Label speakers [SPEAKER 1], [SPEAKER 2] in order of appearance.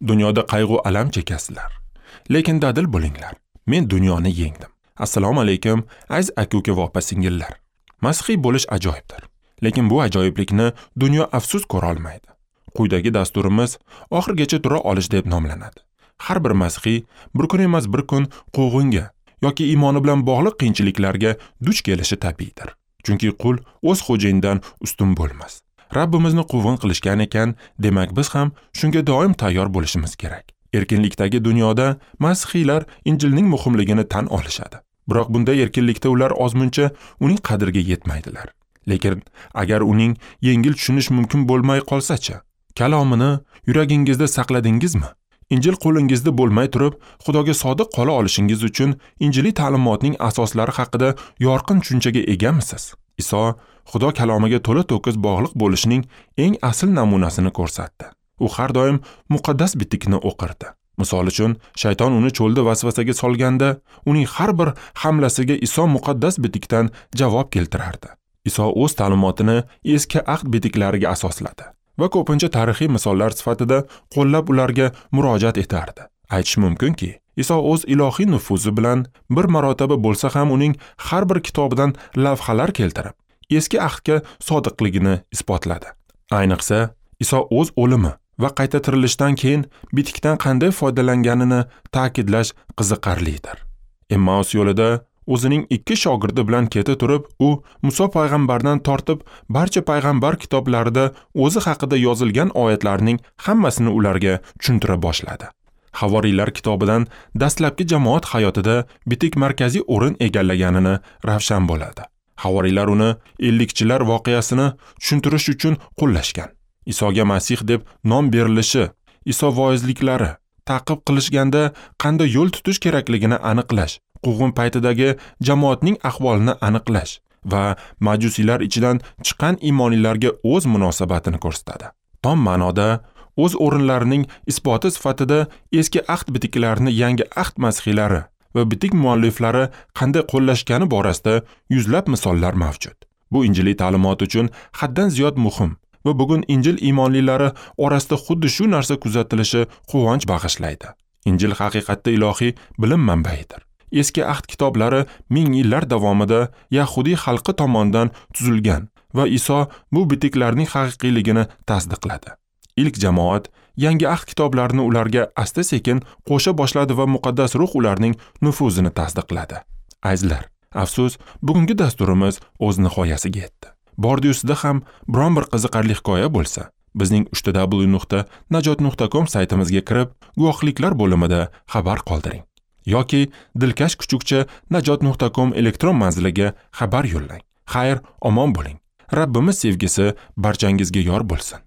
[SPEAKER 1] Dunyoda qayg'u alam chekasizlar. Lekin dadil bo'linglar. Men dunyoni yengdim. Assalomu alaykum, aziz aka-uka va opa-singillar. Masihiy bo'lish ajoyibdir. Lekin bu ajoyiblikni dunyo afsus ko'ra olmaydi. Quyidagi dasturimiz oxirigacha tura olish deb nomlanadi. Har bir masihiy bir kun emas bir kun quvg'inga yoki iymoni bilan bog'liq qiyinchiliklarga duch kelishi tabiiydir. Chunki qul o'z xo'jayinidan ustun bo'lmas. Rabbimizni quvg'in qilishgan ekan, demak biz ham shunga doim tayyor bo'lishimiz kerak. Erkinlikdagi dunyoda masihiylar Injilning muhimligini tan olishadi. Biroq bunday erkinlikda ular ozmuncha uning qadriga yetmaydilar. Lekin agar uning yengil tushunish mumkin bo'lmay qolsa-chi, kalomini yuragingizda saqladingizmi? Injil qo'lingizda bo'lmay turib, Xudoga sodiq qola olishingiz uchun injiliy ta'limotning asoslari haqida yorqin tushunchaga egamisiz? Iso Xudo kalomiga to'la-to'kis bog'liq bo'lishning eng asl namunasini ko'rsatdi. U har doim muqaddas bitikni o'qirdi. Misol uchun, shayton uni cho'lda vasvasaga solganda, uning har bir hamlasiga Iso muqaddas bitikdan javob keltirardi. Iso o'z ta'limotini eski ahd bitiklariga asosladi va ko'pincha tarixiy misollar sifatida qo'llab ularga murojaat etardi. Aytish mumkinki, Iso o'z ilohiy nufuzi bilan bir marotaba bo'lsa ham uning har bir kitobidan lavhalar keltirib, eski ahdga sodiqligini isbotladi. Ayniqsa, Iso o'z o'limi va qayta tirilishdan keyin bitikdan qanday foydalanganini ta'kidlash qiziqarlidir. Emmaus yo'lida o'zining ikki shogirdi bilan keta turib, u Muso payg'ambardan tortib barcha payg'ambar kitoblarida o'zi haqida yozilgan oyatlarning hammasini ularga tushuntira boshladi. Havoriylar kitobidan dastlabki jamoat hayotida bitik markaziy o'rin egallaganini ravshan bo'ladi. Havoriylar uni ellikchilar voqeasini tushuntirish uchun qo'llashgan. Isoga Masih deb nom berilishi, Iso voizliklari, ta'qib qilishganda qanday yo'l tutish kerakligini aniqlash, quvg'in paytidagi jamoatning ahvolini aniqlash va majusiylar ichidan chiqqan iymonlilarga o'z munosabatini ko'rsatadi. Tom ma'noda o'z o'rinlarining isboti sifatida eski ahd bitiklarini yangi ahd masihiylari va bitik mualliflari qanday qo'llashgani borasida yuzlab misollar mavjud. Bu injiliy ta'limot uchun haddan ziyod muhim va bugun Injil iymonlilari orasida xuddi shu narsa kuzatilishi quvonch bag'ishlaydi. Injil haqiqatda ilohiy bilim manbaidir. Eski ahd kitoblari ming yillar davomida yahudiy xalqi tomonidan tuzilgan va Iso bu bitiklarning haqiqiyligini tasdiqladi. Ilk jamoat yangi ahd kitoblarini ularga asta-sekin qo'sha boshladi va muqaddas ruh ularning nufuzini tasdiqladi. Azizlar, afsus, bugungi dasturimiz o'z nihoyasiga yetdi. Bordi-yu sizda ham biron bir qiziqarli hikoya bo'lsa, bizning www.najot.com saytimizga kirib, guvohliklar bo'limida xabar qoldiring yoki dilkash@najot.com elektron manziliga xabar yo'llang. Xayr, omon bo'ling. Rabbimiz sevgisi barchangizga yor bo'lsin.